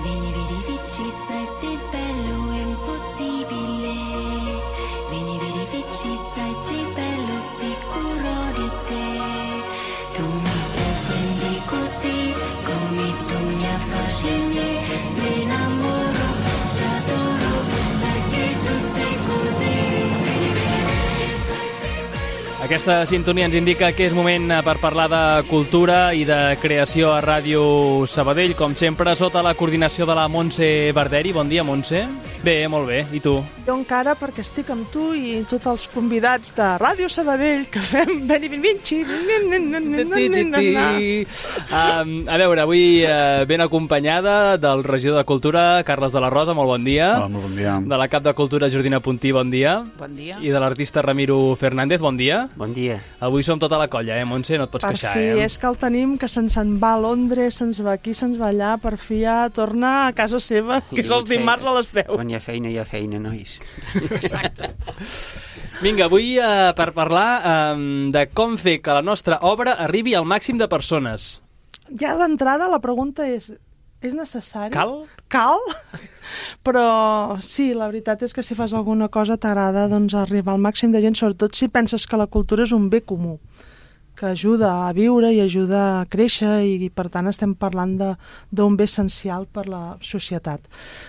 Vieni, vedi, vici, sai sei bello e impossibile. Vieni, vedi, vici, sai sei bello, sicuro di te. Tu mi sorprendi così, come tu mi affascini. Mi innamoro, ti adoro, perché tu sei così. Vieni, vedi, vici, sai sei bello. Aquesta sintonia ens indica que és moment per parlar de cultura i de creació a Ràdio Sabadell, com sempre, sota la coordinació de la Montse Barderi. Bon dia, Montse. Bé, molt bé. I tu? Jo encara, perquè estic amb tu i tots els convidats de Ràdio Sabadell, que fem Beni Vinci. A veure, avui ben acompanyada del regidor de Cultura, Carles de la Rosa, molt bon dia. Hola, molt bon dia. De la cap de Cultura, Jordina Puntí, bon dia. Bon dia. I de l'artista Ramiro Fernández, bon dia. Bon dia. Avui som tota la colla, Montse? No et pots Per queixar, fi, és que el tenim, que se'n va a Londres, se'ns va aquí, se'ns va allà, per fi ja torna a casa seva, que és els dimarts a les 10. Quan hi ha feina, nois. Exacte. Vinga, avui per parlar de com fer que la nostra obra arribi al màxim de persones. Ja d'entrada la pregunta és necessari? Cal? Cal? Però sí, la veritat és que si fas alguna cosa t'agrada doncs, arribar al màxim de gent, sobretot si penses que la cultura és un bé comú, que ajuda a viure i ajuda a créixer i per tant estem parlant d'un bé essencial per la societat.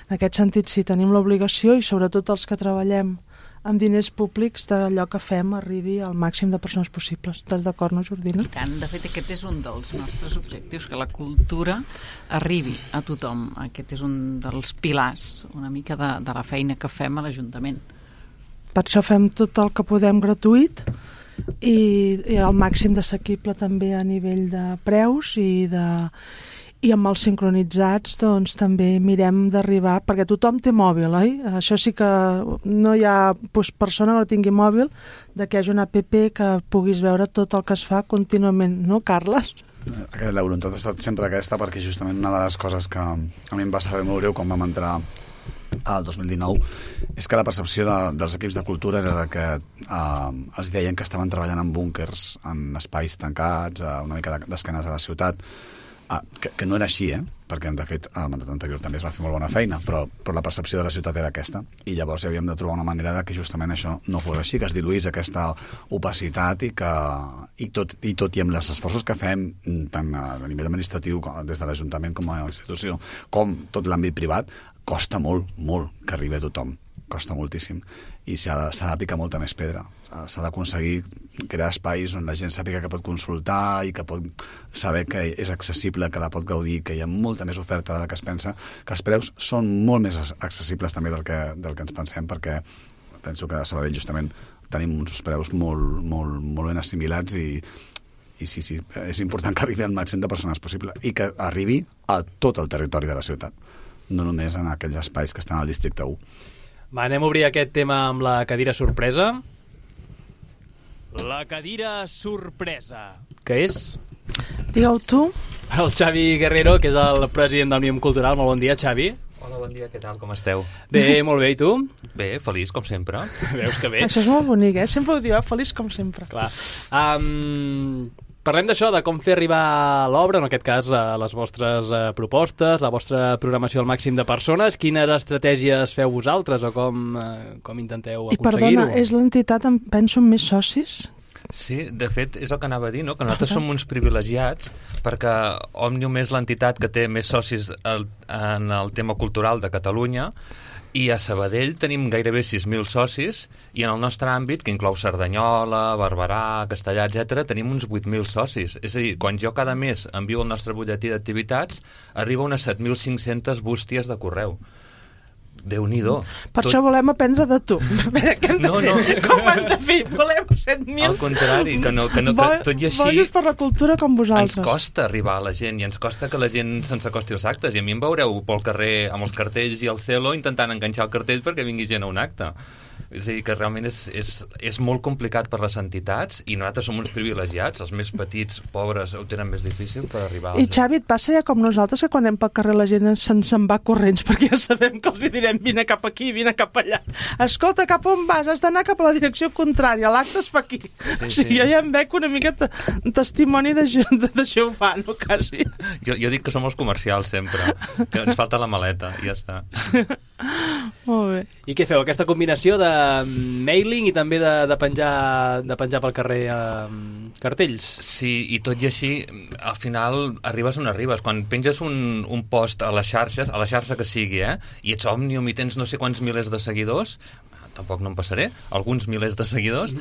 En aquest sentit sí, tenim l'obligació i sobretot els que treballem amb diners públics d'allò que fem arribi al màxim de persones possibles. Estàs d'acord, no, Jordina? I tant, de fet aquest és un dels nostres objectius, que la cultura arribi a tothom. Aquest és un dels pilars una mica de la feina que fem a l'Ajuntament. Per això fem tot el que podem gratuït i al màxim d'assequible també a nivell de preus i amb els sincronitzats doncs també mirem d'arribar, perquè tothom té mòbil, oi? Això sí que no hi ha persona que no tingui mòbil, de que hi hagi una app que puguis veure tot el que es fa contínuament, no, Carles? La voluntat ha estat sempre aquesta, perquè justament una de les coses que a mi em va saber molt greu quan vam entrar al 2019 és que la percepció dels equips de cultura era que els deien que estaven treballant en búnkers, en espais tancats, una mica d'esquenes a la ciutat, que no era així, perquè de fet el mandat anterior també es va fer molt bona feina, però la percepció de la ciutat era aquesta, i llavors havíem de trobar una manera de que justament això no fos així, que es diluís aquesta opacitat i tot i amb els esforços que fem tant a nivell administratiu des de l'Ajuntament com a institució, com tot l'àmbit privat, costa molt, molt que arribi a tothom, costa moltíssim, i s'ha de picar molta més pedra. S'ha d'aconseguir crear espais on la gent sàpiga que pot consultar i que pot saber que és accessible, que la pot gaudir, que hi ha molta més oferta de la que es pensa, que els preus són molt més accessibles també del que ens pensem, perquè penso que a Sabadell justament tenim uns preus molt, molt, molt ben assimilats i sí, és important que arribi al màxim de persones possible i que arribi a tot el territori de la ciutat, no només en aquells espais que estan al districte 1. Va, anem a obrir aquest tema amb la cadira sorpresa. La cadira sorpresa. Què és? Digue-ho tu. El Xavi Guerrero, que és el president d'Òmnium Cultural. Molt bon dia, Xavi. Hola, bon dia, què tal, com esteu? Bé, molt bé, i tu? Bé, feliç, com sempre. Veus que bé. Això és molt bonic, sempre ho diu, feliç com sempre. Clar. Parlem d'això, de com fer arribar l'obra, en aquest cas les vostres propostes, la vostra programació al màxim de persones. Quines estratègies feu vosaltres o com intenteu aconseguir-ho? I perdona, és l'entitat, em penso, amb més socis? Sí, de fet, és el que anava a dir, no? Que nosaltres som uns privilegiats perquè Òmnium és l'entitat que té més socis en el tema cultural de Catalunya, i a Sabadell tenim gairebé 6.000 socis i en el nostre àmbit, que inclou Cerdanyola, Barberà, Castellà, etc., tenim uns 8.000 socis. És a dir, quan jo cada mes envio el nostre butlletí d'activitats, arriba unes 7.500 bústies de correu. Déu-n'hi-do. Per això volem aprendre de tu. A veure, què hem de fer? Com ho hem de fer? Volem 7.000? Al contrari, que tot i així... Bojos per la cultura com vosaltres. Ens costa arribar a la gent i ens costa que la gent se'ns acosti als actes. I a mi em veureu pel carrer amb els cartells i el celo intentant enganxar el cartell perquè vingui gent a un acte. És a dir, que realment és molt complicat per les entitats i nosaltres som uns privilegiats, els més petits, pobres, ho tenen més difícil per arribar I Xavi, et passa ja com nosaltres, que quan anem pel carrer la gent se'n va corrents, perquè ja sabem que els direm vine cap aquí, vine cap allà. Escolta, cap on vas? Has d'anar cap a la direcció contrària, l'acte es fa aquí. O sigui, jo ja em veig una mica testimoni de Jehovà, no, quasi. Jo dic que som els comercials sempre, que ens falta la maleta i ja està. Molt bé. I què feu? Aquesta combinació de mailing i també de penjar pel carrer cartells? Sí, i tot i així, al final arribes on arribes. Quan penges un post a les xarxes, a la xarxa que sigui, i ets Òmnium i tens no sé quants milers de seguidors, tampoc no em passaré, alguns milers de seguidors,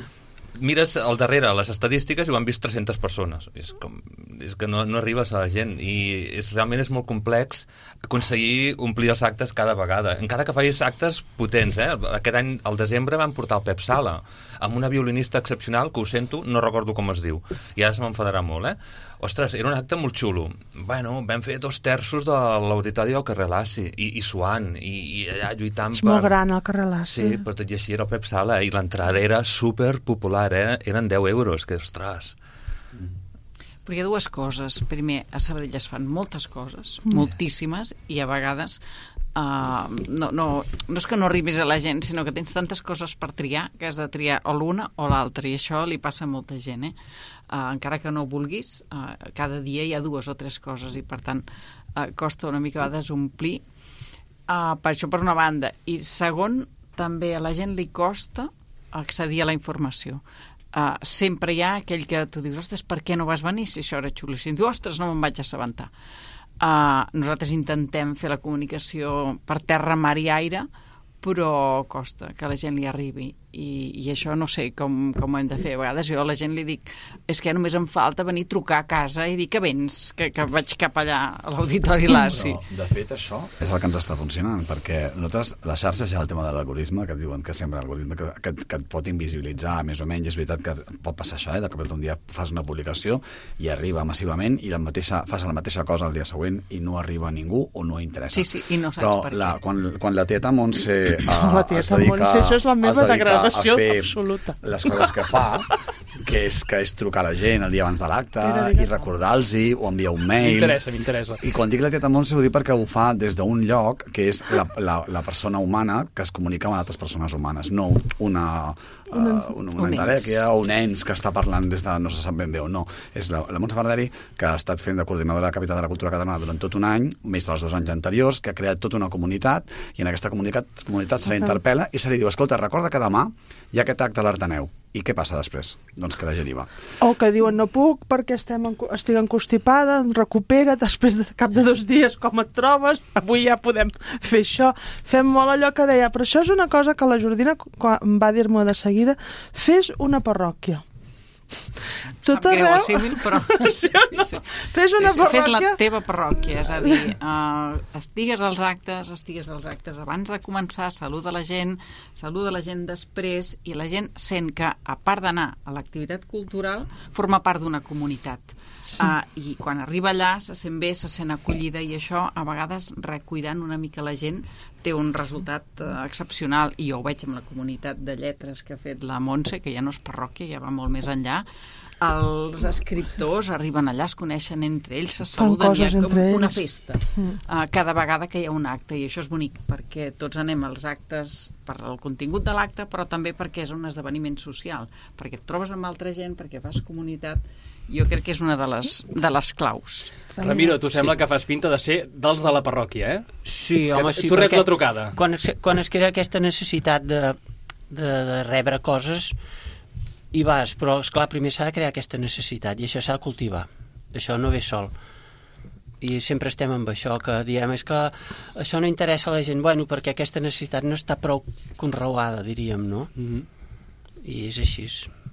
mires al darrere les estadístiques i ho han vist 300 persones. És que no arribes a la gent i realment és molt complex aconseguir omplir els actes cada vegada. Encara que facis actes potents, Aquest any, al desembre, vam portar el Pep Sala amb una violinista excepcional, que ho sento, no recordo com es diu, i ara se m'enfadarà molt, Ostres, era un acte molt xulo. Bueno, vam fer 2/3 de l'auditori del carrer Lassi, i suant, i allà lluitant És molt gran el carrer Lassi. Sí, però tot i així era el Pep Sala, i l'entrada era superpopular, eren 10 euros, que ostres. Però hi ha dues coses. Primer, a Sabadell es fan moltes coses, moltíssimes, i a vegades no és que no arribis a la gent, sinó que tens tantes coses per triar que has de triar o l'una o l'altra, i això li passa a molta gent, encara que no vulguis, cada dia hi ha 2 o 3 coses i per tant costa una mica a vegades omplir, per això per una banda, i segon, també a la gent li costa accedir a la informació. Sempre hi ha aquell que tu dius, ostres, per què no vas venir si això era xulíssim? Diu, ostres, no me'n vaig assabentar. Nosaltres intentem fer la comunicació per terra, mar i aire, però costa que la gent li arribi, i això no sé com ho hem de fer. A vegades jo a la gent li dic, és que només em falta venir a trucar a casa i dir que vens, que vaig cap allà a l'auditori Lassi. Però, de fet, això és el que ens està funcionant, perquè nosaltres, les xarxes, hi ha el tema de l'algoritme, que et diuen que sempre l'algoritme que et pot invisibilitzar, més o menys. És veritat que pot passar això, de que un dia fas una publicació i arriba massivament i fas la mateixa cosa el dia següent i no arriba a ningú o no interessa. Sí, i no saps per què. Quan la tieta Montse la tieta Montse, això és la meva degradació absoluta. Les coses que fa, que és trucar a la gent el dia abans de l'acte i recordar-los-hi o enviar un mail. M'interessa. I quan dic la tieta Montse ho dic perquè ho fa des d'un lloc que és la persona humana que es comunica amb altres persones humanes, no una entelèquia o un ens que està parlant des de no se sap ben bé o no. És la Montse Barderi, que ha estat fent de coordinadora de Capital de la Cultura Catalana durant tot un any, més dels 2 anys anteriors, que ha creat tota una comunitat, i en aquesta comunitat se la interpel·la i se li diu, escolta, recorda que demà hi ha aquest acte a l'Arteneu. I què passa després? Doncs que la gent hi va. O que diuen, no puc perquè estic encostipada, recupera, després de cap de 2 dies, com et trobes? Avui ja podem fer això. Fem molt allò que deia, però això és una cosa que la Jordina va dir-me de seguida, fes una parròquia. Sap greu el símil, però sí, no? Fes una parròquia. Fes la teva parròquia, és a dir, estigues als actes abans de començar, saluda la gent després, i la gent sent que, a part d'anar a l'activitat cultural, forma part d'una comunitat. I quan arriba allà se sent bé, se sent acollida, i això a vegades, recuidant una mica la gent, té un resultat excepcional, i jo ho veig amb la comunitat de lletres que ha fet la Montse, que ja no és parròquia, ja va molt més enllà. Els escriptors arriben allà, es coneixen entre ells, se saluden, hi ha com una festa cada vegada que hi ha un acte, i això és bonic perquè tots anem als actes per el contingut de l'acte, però també perquè és un esdeveniment social, perquè et trobes amb altra gent, perquè fas comunitat. Jo crec que és una de les claus. Ramiro, tu sembla que fas pinta de ser dels de la parròquia, Sí, home, sí. Tu reps la trucada. Quan es crea aquesta necessitat de rebre coses, hi vas, però, esclar, primer s'ha de crear aquesta necessitat, i això s'ha de cultivar. Això no ve sol. I sempre estem amb això, que diem, és que això no interessa a la gent, bueno, perquè aquesta necessitat no està prou conreuada, diríem, no? I és així.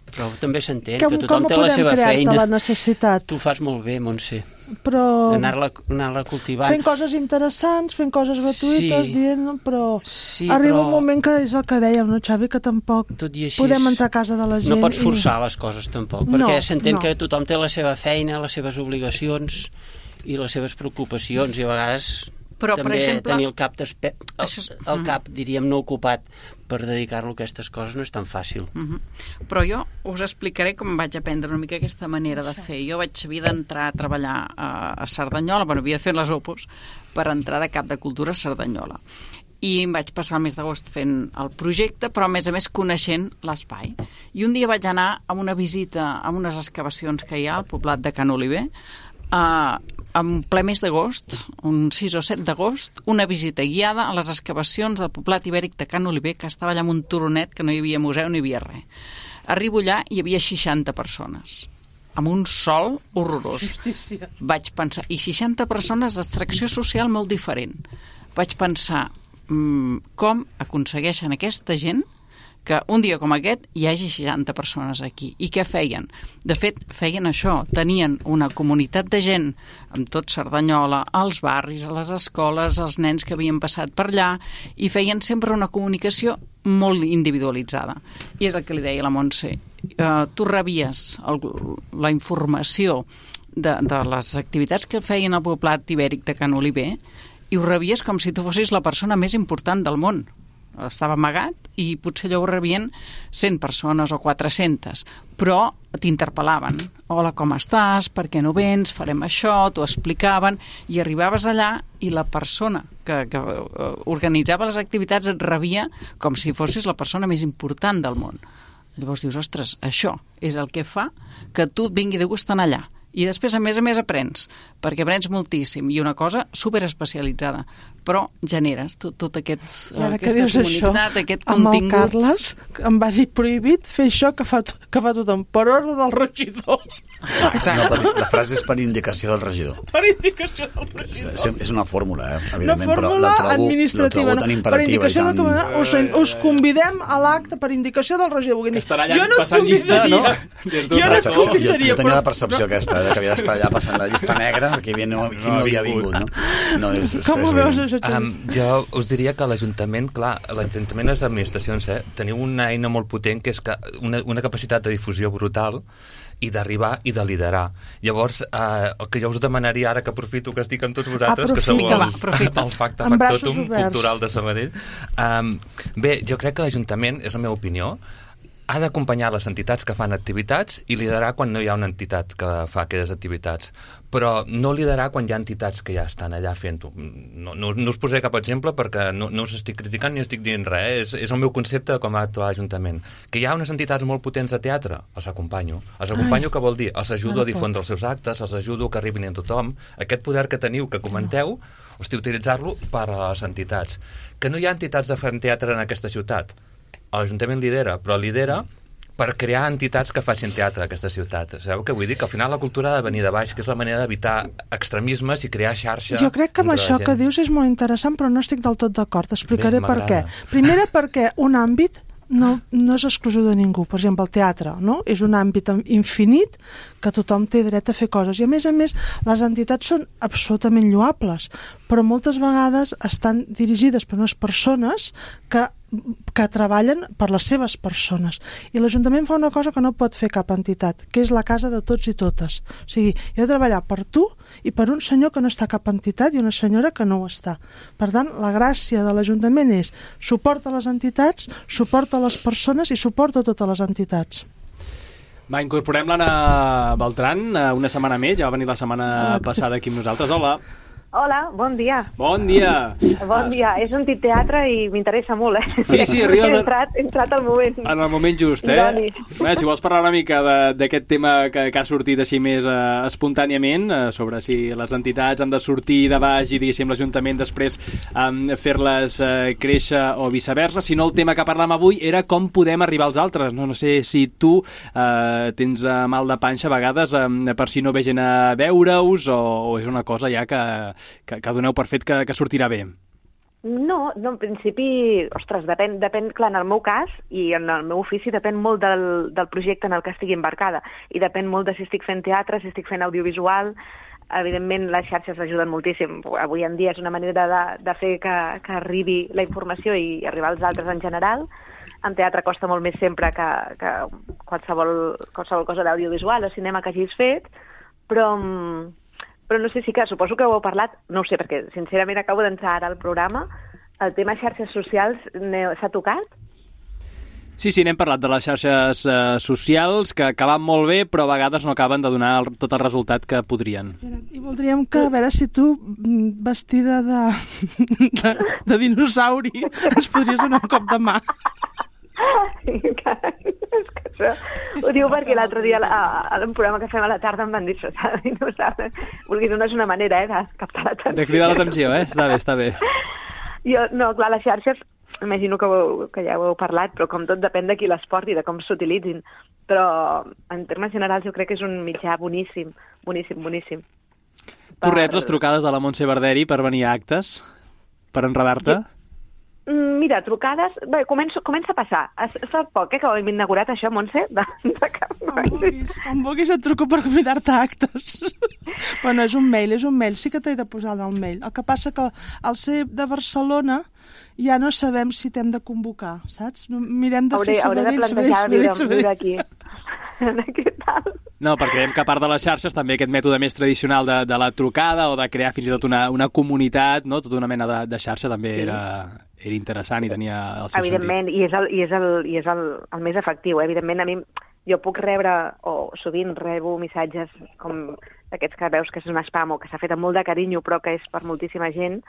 Però també s'entén que tothom té la seva feina. La necessitat? Tu ho fas molt bé, Montse. Però... Anar-la cultivant. Fent coses interessants, fent coses gratuïtes, dient, però arriba un moment que és el que dèiem, no, Xavi, que tampoc podem entrar a casa de la gent. No pots forçar les coses, tampoc, perquè s'entén que tothom té la seva feina, les seves obligacions i les seves preocupacions, i a vegades Però, per també exemple... tenir el cap, diríem, no ocupat per dedicar-lo a aquestes coses no és tan fàcil. Però jo us explicaré com vaig aprendre una mica aquesta manera de fer. Jo havia d'entrar a treballar a Cerdanyola, havia de fer les Opus per entrar de cap de cultura a Cerdanyola. I em vaig passar el mes d'agost fent el projecte, però a més coneixent l'espai. I un dia vaig anar a una visita a unes excavacions que hi ha al poblat de Can Oliver, en ple mes d'agost, un 6 o 7 d'agost, una visita guiada a les excavacions del poblat ibèric de Can Oliver, que estava allà amb un turonet, que no hi havia museu, no hi havia res. Arribo allà i hi havia 60 persones, amb un sol horrorós. Justícia. Vaig pensar, i 60 persones d'extracció social molt diferent. Vaig pensar, com aconsegueixen aquesta gent que un dia com aquest hi hagi 60 persones aquí. I què feien? De fet, feien això. Tenien una comunitat de gent amb tot Cerdanyola, als barris, a les escoles, els nens que havien passat per allà, i feien sempre una comunicació molt individualitzada. I és el que li deia la Montse. Tu rebies la informació de les activitats que feien al poblat ibèric de Can Oliver i ho rebies com si tu fossis la persona més important del món. Estava amagat i potser allò ho rebien 100 persones o 400, però t'interpel·laven. Hola, com estàs? Per què no vens? Farem això, t'ho explicaven, i arribaves allà i la persona que organitzava les activitats et rebia com si fossis la persona més important del món. Llavors dius, ostres, això és el que fa que tu et vingui de gust anar allà. I després, a més, aprens, perquè aprens moltíssim, i una cosa superespecialitzada, però generes tot aquesta comunitat, aquest contingut. Amb el Carles em va dir prohibit fer això que fa tothom, per ordre del regidor. Exacte. No, la frase és per indicació del regidor. Per indicació del regidor. És una fórmula, evidentment, però la trobo tan imperativa. Us convidem a l'acte per indicació del regidor. Que estarà allà passant llista, no? Jo tenia la percepció aquesta, que havia d'estar allà passant la llista negra, que no havia vingut, no? Com ho veus, això? Jo us diria que l'Ajuntament, clar, l'Ajuntament i les administracions teniu una eina molt potent, que és una capacitat de difusió brutal, i d'arribar i de liderar. Llavors, el que jo us demanaria ara, que aprofito que estic amb tots vosaltres, que sou el factotum cultural de Sabadell. Bé, jo crec que l'Ajuntament, és la meva opinió, ha d'acompanyar les entitats que fan activitats i liderar quan no hi ha una entitat que fa aquelles activitats, però no liderar quan hi ha entitats que ja estan allà fent-ho. No us posaré cap exemple perquè no us estic criticant ni estic dient res, és el meu concepte de com ha d'actuar l'Ajuntament. Que hi ha unes entitats molt potents de teatre, els acompanyo. Els acompanyo, què vol dir? Els ajudo a difondre els seus actes, els ajudo que arribin a tothom. Aquest poder que teniu, que comenteu, utilitzar-lo per a les entitats. Que no hi ha entitats de fer teatre en aquesta ciutat. L'Ajuntament lidera, però lidera per crear entitats que facin teatre a aquesta ciutat. Sabeu què vull dir? Que al final la cultura ha de venir de baix, que és la manera d'evitar extremismes i crear xarxa. Jo crec que amb això que dius és molt interessant, però no estic del tot d'acord. Explicaré per què. Primera, perquè un àmbit no és exclusiu de ningú. Per exemple, el teatre, no? És un àmbit infinit que tothom té dret a fer coses. I a més, les entitats són absolutament lloables, però moltes vegades estan dirigides per unes persones que treballen per les seves persones. I l'Ajuntament fa una cosa que no pot fer cap entitat, que és la casa de tots i totes. O sigui, he de treballar per tu i per un senyor que no està a cap entitat i una senyora que no ho està. Per tant, la gràcia de l'Ajuntament és suport a les entitats, suport a les persones i suport a totes les entitats. Va, incorporem l'Anna Beltran una setmana més, ja va venir la setmana passada aquí amb nosaltres. Hola. Hola, bon dia. Bon dia. Bon dia. He sentit teatre i m'interessa molt, Sí, arribes... He entrat al moment. En el moment just, Bé, si vols parlar una mica d'aquest tema que ha sortit així més espontàniament, sobre si les entitats han de sortir de baix i, diguéssim, l'Ajuntament després fer-les créixer o viceversa, si no el tema que parlàvem avui era com podem arribar als altres. No sé si tu tens mal de panxa a vegades per si no ve gent a veure-us o és una cosa ja que doneu per fet que sortirà bé. No, en principi, ostres, depèn, clar, en el meu cas i en el meu ofici depèn molt del projecte en el que estigui embarcada i depèn molt de si estic fent teatre, si estic fent audiovisual. Evidentment, les xarxes ajuden moltíssim. Avui en dia és una manera de fer que arribi la informació i arribar als altres en general. En teatre costa molt més sempre que qualsevol cosa d'audiovisual o cinema que hagis fet, però però no sé si que suposo que ho heu parlat, no ho sé, perquè sincerament acabo d'entrar ara al programa, el tema xarxes socials s'ha tocat? Sí, n'hem parlat de les xarxes socials, que van molt bé, però a vegades no acaben de donar tot el resultat que podrien. I voldríem que, a veure si tu, vestida de dinosauri, ens podries donar un cop de mà. És que això ho diu perquè l'altre dia a un programa que fem a la tarda em van dir això, dinosauri. Vulguis, no és una manera de captar l'atenció. De cridar l'atenció, està bé. No, clar, les xarxes, imagino que ja ho heu parlat, però com tot depèn de qui les porti, de com s'utilitzin. Però en termes generals jo crec que és un mitjà boníssim. Tu reps les trucades de la Montse Barderi per venir a actes? Per enredar-te? Mira, trucades... Bé, comença a passar. Fa poc que ho hem inaugurat, això, Montse? Com vulguis et truco per convidar-te a actes. Però no, és un mail. Sí que t'he de posar el mail. El que passa que al ser de Barcelona ja no sabem si t'hem de convocar, saps? Mirem de fer Hauré de plantejar viure aquí. No, perquè creiem que a part de les xarxes també aquest mètode més tradicional de la trucada o de crear fins i tot una comunitat, no? Tota una mena de xarxa també era interessant i tenia el seu evidentment, sentit. I és el més efectiu. Evidentment, a mi jo puc rebre, o sovint rebo missatges com aquests que veus que és un spam o que s'ha fet amb molt de carinyo però que és per moltíssima gent,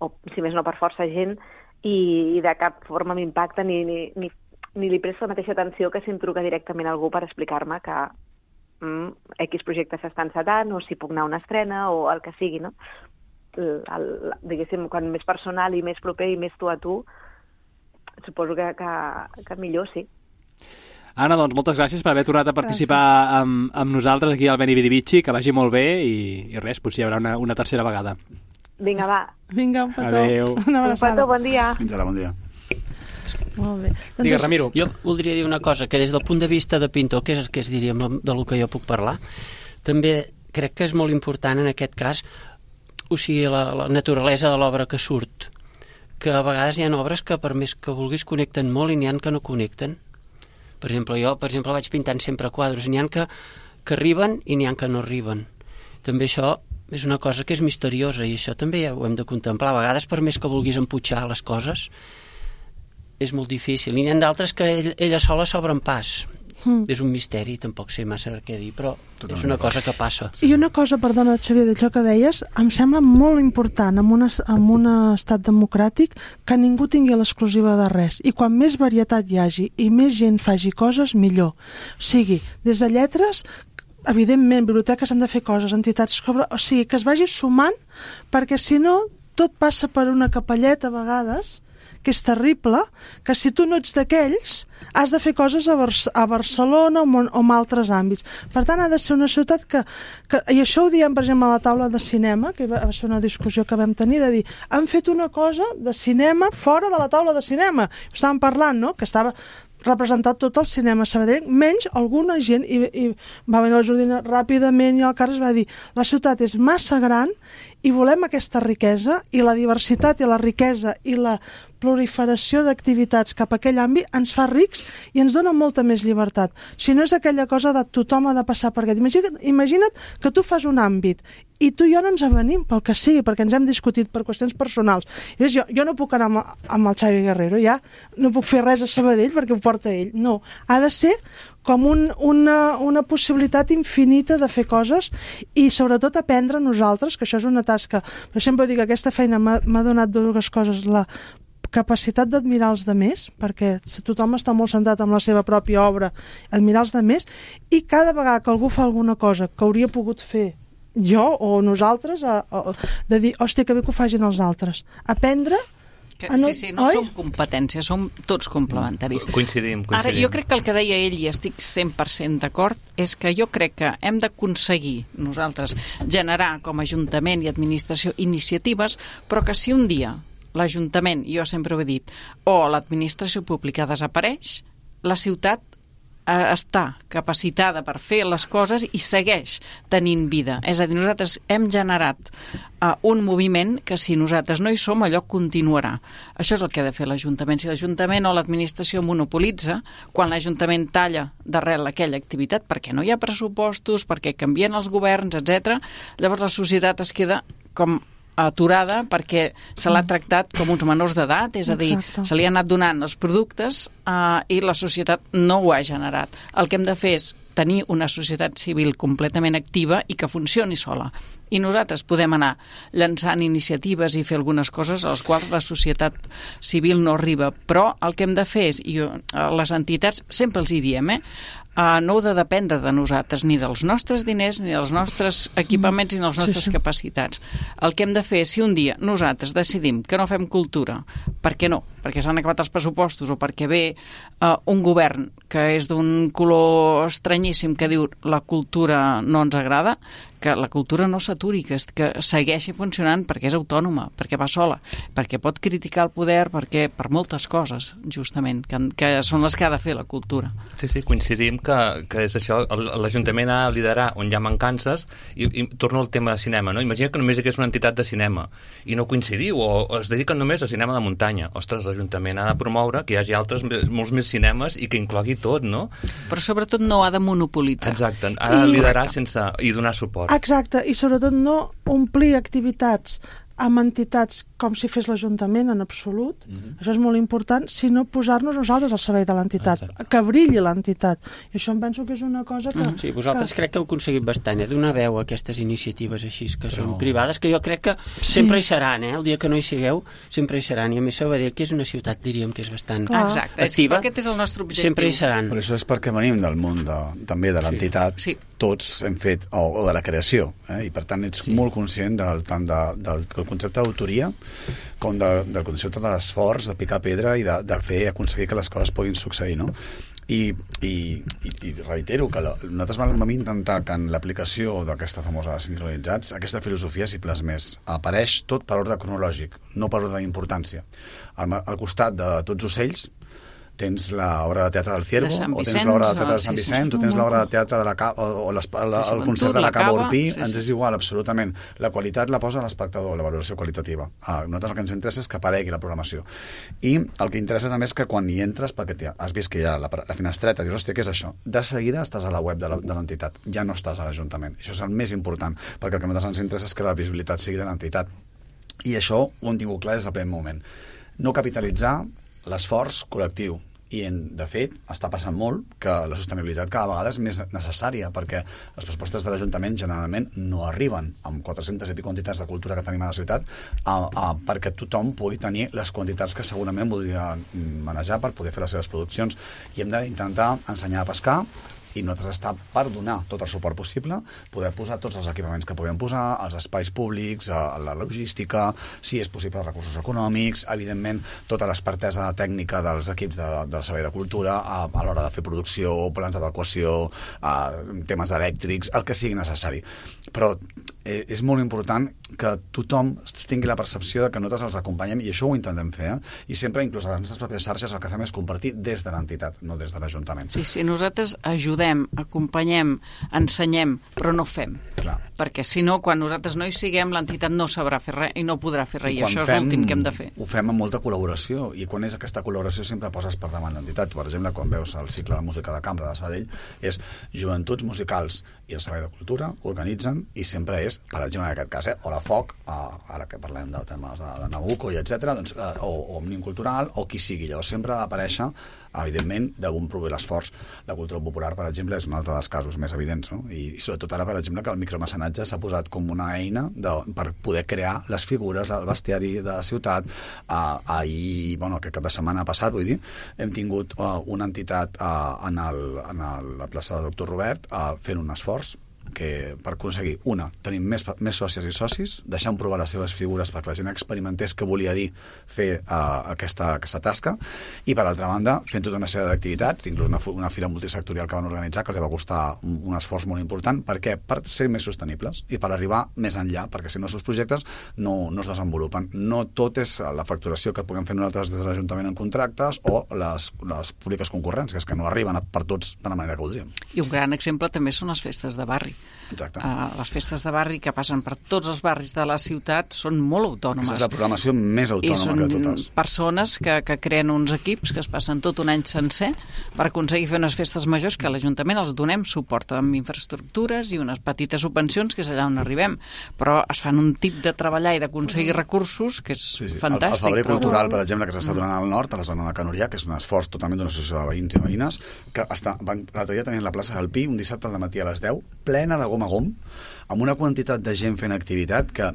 o si més no per força gent, i de cap forma m'impacta ni li presto la mateixa atenció que si em truca directament algú per explicar-me que X projectes s'està encetant o si puc anar a una estrena o el que sigui, no? Diguéssim, quan més personal i més proper i més tu a tu, suposo que millor, sí. Anna, doncs moltes gràcies per haver tornat a participar amb nosaltres aquí al Beni Vidi Vici, que vagi molt bé i res, potser hi haurà una tercera vegada. Vinga, va. Vinga, un petó. Adéu. Una abraçada. Un petó, bon dia. Fins ara, bon dia. Molt bé. Digues, Ramiro. Jo voldria dir una cosa, que des del punt de vista de pintor, que és el que es diria del que jo puc parlar, també crec que és molt important en aquest cas, o sigui, la naturalesa de l'obra que surt, que a vegades hi ha obres que per més que vulguis connecten molt i n'hi ha que no connecten. Per exemple, jo vaig pintant sempre quadres, n'hi ha que arriben i n'hi ha que no arriben. També això és una cosa que és misteriosa i això també ja ho hem de contemplar. A vegades, per més que vulguis empujar les coses, és molt difícil. I n'hi ha d'altres que ella sola s'obren pas. És un misteri, tampoc sé massa què dir, però és una cosa que passa. I una cosa, perdona, Xavier, d'això que deies, em sembla molt important en un estat democràtic que ningú tingui l'exclusiva de res. I quan més varietat hi hagi i més gent faci coses, millor. O sigui, des de lletres, evidentment, biblioteques han de fer coses, entitats, o sigui, que es vagi sumant, perquè si no, tot passa per una capelleta a vegades, que és terrible, que si tu no ets d'aquells, has de fer coses a Barcelona o en altres àmbits. Per tant, ha de ser una ciutat que... I això ho diem, per exemple, a la taula de cinema, que va ser una discussió que vam tenir, de dir, han fet una cosa de cinema fora de la taula de cinema. Estàvem parlant, no?, que estava representat tot el cinema Sabadell, menys alguna gent, i va venir la Jordina ràpidament i el Carles va dir, la ciutat és massa gran i volem aquesta riquesa, i la diversitat i la riquesa i la proliferació d'activitats cap a aquell àmbit ens fa rics i ens dona molta més llibertat. Si no és aquella cosa de tothom ha de passar per aquest. Imagina't que tu fas un àmbit i tu i jo no ens avenim pel que sigui, perquè ens hem discutit per qüestions personals. I jo no puc anar amb el Xavi Guerrero, ja no puc fer res a Sabadell perquè ho porta ell. No, ha de ser com una possibilitat infinita de fer coses i sobretot aprendre nosaltres, que això és una tasca. Per sempre dic que aquesta feina m'ha donat dues coses, la capacitat d'admirar els demés, perquè tothom està molt centrat en la seva pròpia obra, admirar els demés, i cada vegada que algú fa alguna cosa que hauria pogut fer jo o nosaltres, de dir, hòstia, que bé que ho facin els altres. Aprendre... Sí, no som competències, som tots complementaris. Coincidim. Ara, jo crec que el que deia ell, i estic 100% d'acord, és que jo crec que hem d'aconseguir nosaltres generar com a Ajuntament i Administració iniciatives, però que si un dia l'Ajuntament, jo sempre ho he dit, o l'administració pública desapareix, la ciutat està capacitada per fer les coses i segueix tenint vida. És a dir, nosaltres hem generat un moviment que si nosaltres no hi som, allò continuarà. Això és el que ha de fer l'Ajuntament. Si l'Ajuntament o l'administració monopolitza, quan l'Ajuntament talla d'arrel aquella activitat, perquè no hi ha pressupostos, perquè canvien els governs, etc., llavors la societat es queda com aturada perquè se l'ha tractat com uns menors d'edat, és a dir, se li ha anat donant els productes i la societat no ho ha generat. El que hem de fer és tenir una societat civil completament activa i que funcioni sola. I nosaltres podem anar llançant iniciatives i fer algunes coses a les quals la societat civil no arriba, però el que hem de fer és, i les entitats sempre els hi diem, no heu de dependre de nosaltres, ni dels nostres diners, ni dels nostres equipaments, ni de les nostres capacitats. El que hem de fer és, si un dia nosaltres decidim que no fem cultura, per què no? Perquè s'han acabat els pressupostos o perquè ve un govern que és d'un color estranyíssim que diu la cultura no ens agrada, que la cultura no s'aturi, que segueixi funcionant perquè és autònoma, perquè va sola, perquè pot criticar el poder, perquè per moltes coses, justament, que són les que ha de fer la cultura. Sí, coincidim que és això, l'Ajuntament ha de liderar on hi ha mancances i torno al tema de cinema, no? Imagina que només hi hagués una entitat de cinema i no coincidiu, o es dediquen només a cinema de muntanya. Ostres, l'Ajuntament ha de promoure que hi hagi molts més cinemes i que inclogui tot, no? Però sobretot no ha de monopolitzar. Exacte, ha de liderar i donar suport. Exacte, i sobretot no omplir activitats amb entitats com si fes l'Ajuntament en absolut, això és molt important, sinó posar-nos nosaltres al servei de l'entitat, que brilli l'entitat. I això em penso que és una cosa que... Sí, vosaltres crec que heu aconseguit bastant, donar veu a aquestes iniciatives així, que són privades, que jo crec que sempre hi seran, el dia que no hi sigueu, sempre hi seran, i a més Sabadell, que és una ciutat, diríem, que és bastant activa, aquest és el nostre objectiu. Sempre hi seran. Però això és perquè venim del món també de l'entitat, tots hem fet, o de la creació, i per tant ets molt conscient tant del concepte d'autoria com del concepte de l'esforç, de picar pedra i de aconseguir que les coses puguin succeir, no? I reitero que nosaltres vam intentar que en l'aplicació d'aquesta famosa sincronitzats aquesta filosofia s'hi plasmés. Apareix tot per ordre cronològic, no per ordre d'importància. Al costat de Tots ocells tens l'obra de teatre del Ciervo, o tens l'obra de teatre de Sant Vicenç, o tens l'obra de teatre de la Cava, o el concert de la Cava Orpí, ens és igual, absolutament. La qualitat la posa l'espectador, la valoració qualitativa. A nosaltres el que ens interessa és que aparegui la programació. I el que interessa també és que quan hi entres, perquè has vist que hi ha la finestreta, dius, hòstia, què és això? De seguida estàs a la web de l'entitat, ja no estàs a l'Ajuntament. Això és el més important, perquè el que a nosaltres ens interessa és que la visibilitat sigui de l'entitat. I això ho hem tingut clar des del primer moment. No capitalitzar l'esforç col·lectiu. I, de fet, està passant molt que la sostenibilitat cada vegada és més necessària perquè els pressupostos de l'Ajuntament generalment no arriben amb 400 i pico entitats de cultura que tenim a la ciutat perquè tothom pugui tenir les quantitats que segurament voldria manejar per poder fer les seves produccions. I hem d'intentar ensenyar a pescar i nosaltres està per donar tot el suport possible, poder posar tots els equipaments que puguem posar, els espais públics, la logística, si és possible els recursos econòmics, evidentment tota l'expertesa tècnica dels equips del Servei de Cultura a l'hora de fer producció, plans d'evacuació, temes elèctrics, el que sigui necessari. Però és molt important que tothom tingui la percepció de que nosaltres els acompanyem, i això ho intentem fer, i sempre, inclús a les nostres pròpies xarxes, el que fem és compartir des de l'entitat, no des de l'Ajuntament. Sí, nosaltres ajudem, acompanyem, ensenyem, però no fem. Clar. Perquè si no, quan nosaltres no hi siguem, l'entitat no sabrà fer res i no podrà fer res, i això és l'últim que hem de fer. Ho fem amb molta col·laboració, i quan és aquesta col·laboració sempre poses per davant l'entitat. Per exemple, quan veus el cicle de música de cambra de Sabadell, és Joventuts Musicals i el Servei de Cultura organitzen, i sempre és, per exemple, en aquest cas, o la FOC, ara que parlem de temes de Nabucco i etc., doncs, o Òmnium Cultural, o qui sigui. Llavors sempre ha d'aparèixer, evidentment, d'on prové l'esforç. La cultura popular, per exemple, és un altre dels casos més evidents, no? I sobretot ara, per exemple, que el micromecenatge s'ha posat com una eina per poder crear les figures, el bestiari de la ciutat. Ahir, aquest cap de setmana passat, vull dir, hem tingut una entitat a la plaça de Doctor Robert fent un esforç que per aconseguir, una, tenir més sòcies i socis, deixant provar les seves figures perquè la gent experimentés què volia dir fer aquesta tasca, i per altra banda, fent tota una sèrie d'activitats, inclús una fira multisectorial que van organitzar, que els va costar un esforç molt important. Per què? Per ser més sostenibles i per arribar més enllà, perquè si no els seus projectes no es desenvolupen. No tot és la facturació que puguem fer nosaltres des de l'Ajuntament en contractes o les públiques concurrències, que no arriben per tots de la manera que voldríem. I un gran exemple també són les festes de barri. Exacte. Les festes de barri que passen per tots els barris de la ciutat són molt autònomes. És la programació més autònoma de totes. I són persones que creen uns equips que es passen tot un any sencer per aconseguir fer unes festes majors que a l'Ajuntament els donem suport amb infraestructures i unes petites subvencions, que és allà on arribem. Però es fan un tip de treballar i d'aconseguir recursos que és fantàstic. El Febrer Cultural, per exemple, que s'està donant al nord, a la zona de Canorià, que és un esforç totalment d'una associació de veïns i veïnes, que l'altre dia tenien la plaça del Pi un dissabte al matí a les 10, plena de gom a gom, amb una quantitat de gent fent activitat que,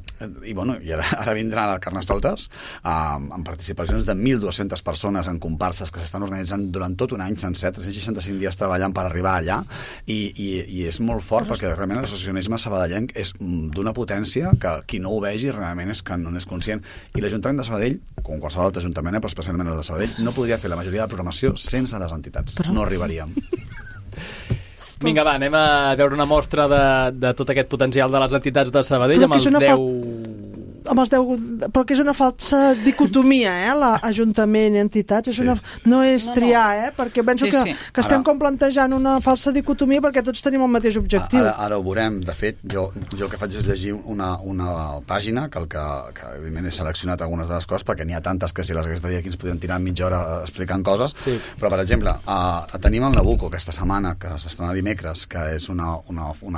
i ara vindran a Carnestoltes amb participacions de 1.200 persones en comparses que s'estan organitzant durant tot un any sencer, 365 dies treballant per arribar allà, i és molt fort perquè realment l'associacionisme sabadellenc és d'una potència que qui no ho vegi realment és que no n'és conscient, i l'Ajuntament de Sabadell, com qualsevol altre ajuntament, però especialment el de Sabadell, no podria fer la majoria de programació sense les entitats, no arribaríem. Vinga, va, anem a veure una mostra de tot aquest potencial de les entitats de Sabadell amb els 10... però que és una falsa dicotomia, l'Ajuntament i entitats, no és triar, perquè penso que estem com plantejant una falsa dicotomia perquè tots tenim el mateix objectiu. Ara ho veurem. De fet, jo el que faig és llegir una pàgina que evidentment he seleccionat algunes de les coses perquè n'hi ha tantes que si les hagués de dir aquí ens podríem tirar mitja hora explicant coses, però per exemple tenim el Nabucco aquesta setmana, que es va estrenar dimecres, que és una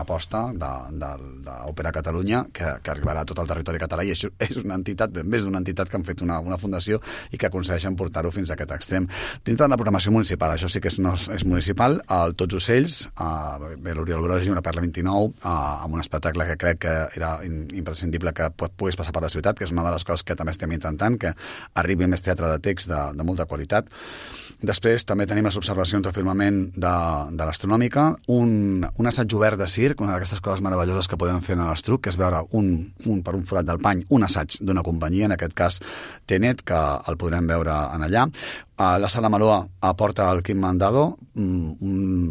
aposta d'Òpera Catalunya que arribarà a tot el territori català, i és una entitat, més d'una entitat que han fet una fundació i que aconsegueixen portar-ho fins a aquest extrem. Dintre de la programació municipal, això sí que és municipal, el Tots Ocells, l'Oriol Brogi, una Perla 29, amb un espectacle que crec que era imprescindible que pogués passar per la ciutat, que és una de les coses que també estem intentant, que arribi més teatre de text de molta qualitat. Després també tenim les observacions del firmament de l'Astronòmica, un assaig obert de circ, una d'aquestes coses meravelloses que podem fer en l'Estruc, que és veure per un forat del pany un assaig d'una companyia, en aquest cas Tenet, que el podrem veure en allà. La Sala Maloa aporta el Quim Mandado,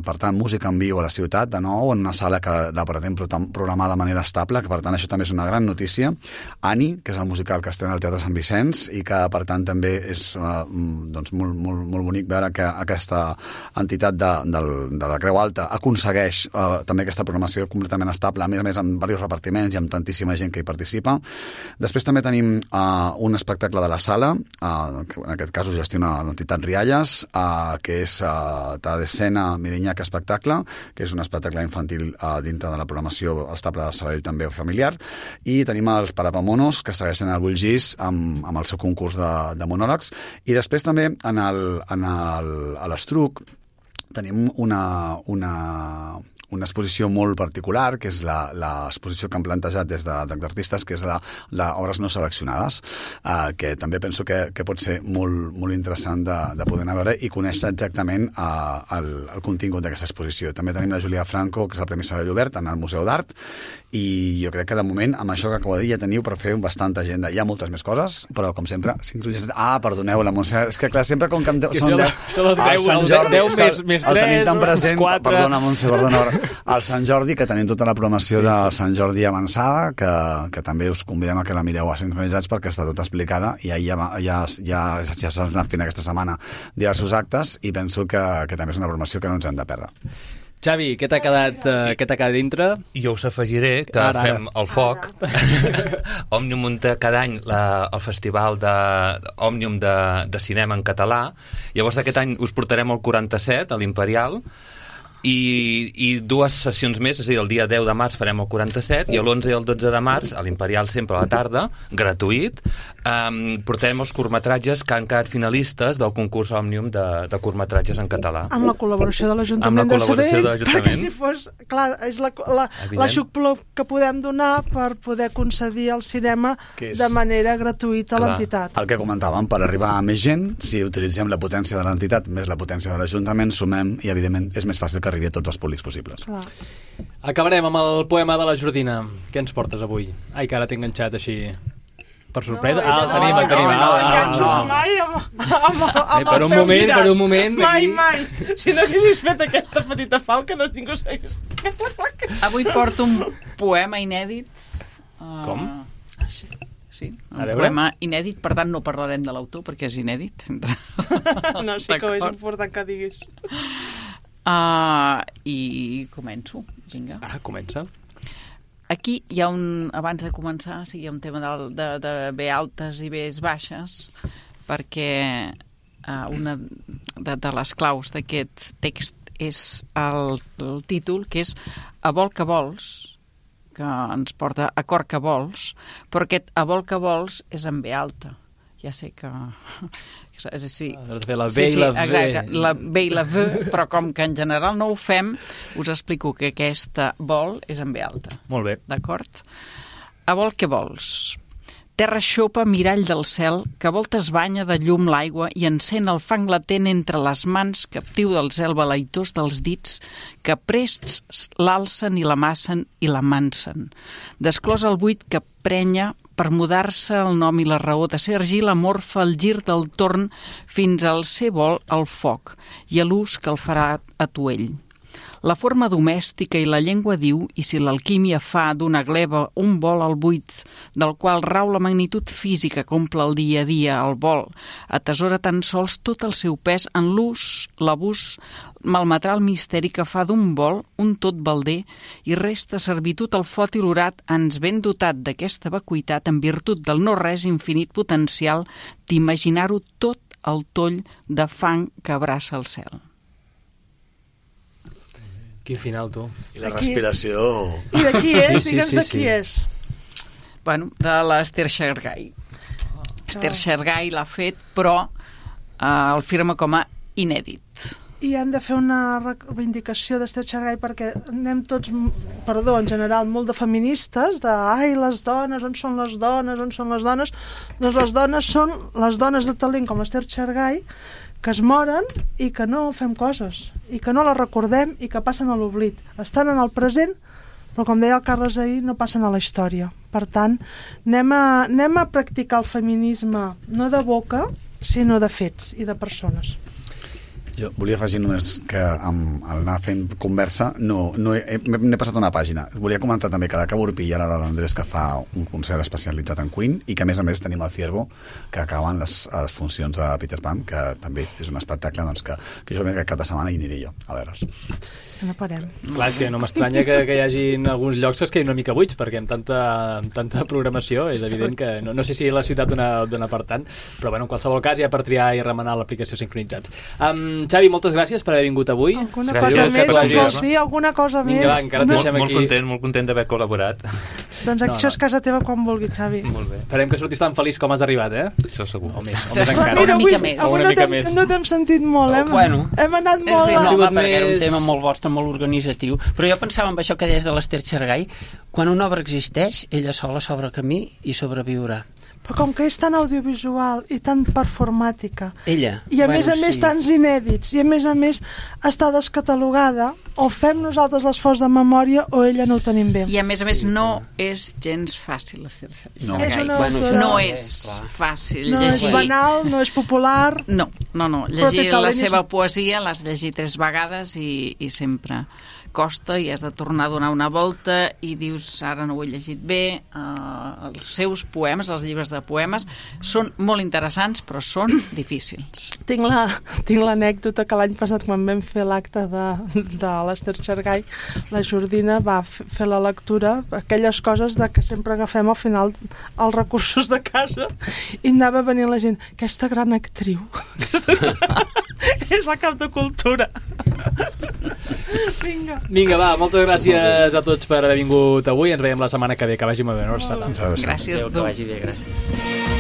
per tant, música en viu a la ciutat, de nou, en una sala que la pretén programar de manera estable, que per tant això també és una gran notícia. Ani, que és el musical que estrena al Teatre Sant Vicenç i que per tant també és molt bonic veure que aquesta entitat de la Creu Alta aconsegueix també aquesta programació completament estable, a més amb diversos repartiments i amb tantíssima gent que hi participa. Després també tenim un espectacle de la Sala, que en aquest cas ho gestiona l'entitat Rialles, que és Ta d'Escena Mirinyac Espectacle, que és un espectacle infantil dintre de la programació estable de Sabadell també familiar, i tenim els Parapamonos, que segueixen el Bullgís amb el seu concurs de monòlegs, i després també a l'Estruc tenim una exposició molt particular, que és l'exposició que han plantejat des d'artistes, que és d'obres no seleccionades, que també penso que pot ser molt interessant de poder anar a veure i conèixer exactament el contingut d'aquesta exposició. També tenim la Julia Franco, que és el Premi Sabadell Obert, en el Museu d'Art, i jo crec que de moment, amb això que acabo de dir, ja teniu per fer bastanta agenda. Hi ha moltes més coses, però com sempre... perdoneu, la Montse, és que clar, sempre com que són 10... El Sant Jordi, el tenim tan present... Perdona, Montse, perdona. El Sant Jordi, que tenim tota la programació del Sant Jordi avançada, que també us convidem a que la mireu a Sincronitzats perquè està tota explicada, i ja s'han anat fent aquesta setmana diversos actes, i penso que també és una programació que no ens hem de perdre. Xavi, què t'ha quedat dintre? Jo us afegiré que fem el foc. Òmnium munta cada any el festival d'Òmnium de cinema en català. Llavors aquest any us portarem el 47, a l'Imperial, i dues sessions més, és a dir, el dia 10 de març farem el 47 i l'11 i el 12 de març a l'Imperial, sempre a la tarda, gratuït, portarem els curtmetratges que han quedat finalistes del concurs Òmnium de curtmetratges en català. Amb la col·laboració de l'Ajuntament de Sabadell, perquè si fos, clar, és l'aixopluc que podem donar per poder concedir el cinema de manera gratuïta a l'entitat. El que comentàvem, per arribar a més gent, si utilitzem la potència de l'entitat més la potència de l'Ajuntament, sumem, i evidentment és més fàcil que arribi a tots els públics possibles. Clar. Acabarem amb el poema de la Jordina. Què ens portes avui? Ai, que ara t'he enganxat així per sorpresa. El tenim. enganxos mai Per un moment. Mai. Si no haguessis fet aquesta petita falca, no ningú s'hagués... Avui porto un poema inèdit. Com? Sí, un A veure. poema inèdit, per tant no parlarem de l'autor perquè és inèdit. No, sí que ho és important que diguis. I començo. Vinga. Comença. Aquí hi ha abans de començar, hi ha un tema de B altes i Bs baixes, perquè una de les claus d'aquest text és el títol, que és A vol que vols, que ens porta a cor que vols, però aquest a vol que vols és en B alta. Ja sé que... És així. Has de fer la B i la V. Exacte, la B i la V, però com que en general no ho fem, us explico que aquesta vol és en B alta. Molt bé. D'acord? A vol que vols. Terra xopa, mirall del cel, que a voltes banya de llum l'aigua i encén el fang latent entre les mans, captiu del zel balaitós dels dits, que prests l'alcen i l'amassen i l'amansen. Desclòs el buit que prenya per mudar-se el nom i la raó, de ser argila morfa el gir del torn fins al ser vol el foc i a l'ús que el farà atuell. La forma domèstica i la llengua diu, i si l'alquímia fa d'una gleba un vol al buit, del qual rau la magnitud física que omple el dia a dia, el vol, atesora tan sols tot el seu pes en l'ús, l'abús, malmetrà el misteri que fa d'un vol un tot balder i resta servitud al fot i l'orat ens ben dotat d'aquesta vacuïtat en virtut del no-res infinit potencial d'imaginar-ho tot el toll de fang que abraça el cel. Quin final, tu. I la respiració... I de qui és? Digue'ns de qui és. Bueno, de l'Esther Xargay. Esther Xargay l'ha fet, però el firma com a inèdit. I hem de fer una reivindicació d'Esther Xargay perquè anem tots, en general, molt de feministes, de ai, les dones, on són les dones, on són les dones? Doncs les dones són les dones de talent com l'Esther Xargay, que es moren i que no fem coses, i que no les recordem i que passen a l'oblit. Estan en el present, però com deia el Carles ahir, no passen a la història. Per tant, anem a practicar el feminisme no de boca, sinó de fets i de persones. Jo volia afegir només que amb anar fent conversa n'he passat una pàgina. Volia comentar també que la Cabo Urpí i ara l'Andrés que fa un concert especialitzat en Queen i que a més tenim el Ciervo que acaben les funcions de Peter Pan, que també és un espectacle doncs, que jo crec que cap de setmana hi aniré jo a veure's. No parem. Clar, és que no m'estranya que hi hagi alguns llocs que es quedin una mica buits, perquè amb tanta programació és evident que no sé si la ciutat dona per tant, però bueno, en qualsevol cas ja per triar i remenar l'aplicació Sincronitzats. Xavi, moltes gràcies per haver vingut avui. Alguna cosa més ens vols dir? Alguna cosa més? Vinga, va, encara et deixem aquí. Molt content d'haver col·laborat. Doncs això és casa teva quan vulguis, Xavi. Molt bé. Esperem que sortis tan feliç com has arribat, Això segur. O més encara. Una mica més. Avui no t'hem sentit molt, Hem anat molt... No, perquè era un tema molt vostre, molt organitzatiu. Però jo pensava en això que deies de l'Esther Xargay. Quan una obra existeix, ella sola s'obre camí i sobreviurà. Però com que és tan audiovisual i tan performàtica Ella. I a més tants inèdits i a més està descatalogada, o fem nosaltres l'esforç de memòria o ella no ho tenim bé. I a més no és gens fàcil l'Esther No, no és fàcil no llegir. És banal, no és popular. No. Llegir la seva poesia l'has llegit 3 vegades i sempre costa i has de tornar a donar una volta i dius, ara no ho he llegit bé. Els seus poemes, els llibres de poemes, són molt interessants, però són difícils. Tinc l'anècdota que l'any passat, quan vam fer l'acte de l'Esther Xargay, la Jordina va fer la lectura, aquelles coses de que sempre agafem al final els recursos de casa, i anava venint la gent, aquesta gran actriu és la cap de cultura. Vinga, va, moltes gràcies a tots per haver vingut avui. Ens veiem la setmana que ve. Que vagi molt bé. Gràcies a tu. Que vagi bé, gràcies.